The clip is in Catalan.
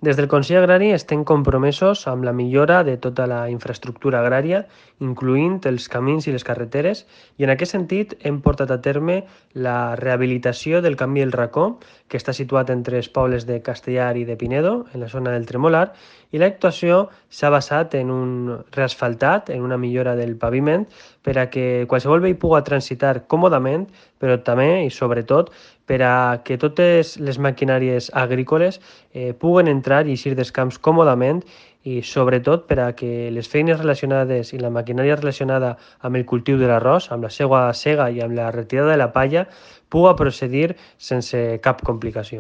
Des del Consell Agrari estem compromesos amb la millora de tota la infraestructura agrària, incloent els camins i les carreteres, i en aquest sentit hem portat a terme la rehabilitació del Camí del Racó, que està situat entre els pobles de Castellar i de Pinedo, en la zona del Tremolar, i l'actuació s'ha basat en un reasfaltat, en una millora del paviment, per a que qualsevol veí pugui transitar còmodament, però també i sobretot per a que totes les maquinàries agrícoles puguen entrar i eixir dels camps còmodament i sobretot per a que les feines relacionades i la maquinària relacionada amb el cultiu de l'arròs, amb la seva sega i amb la retirada de la palla, puga procedir sense cap complicació.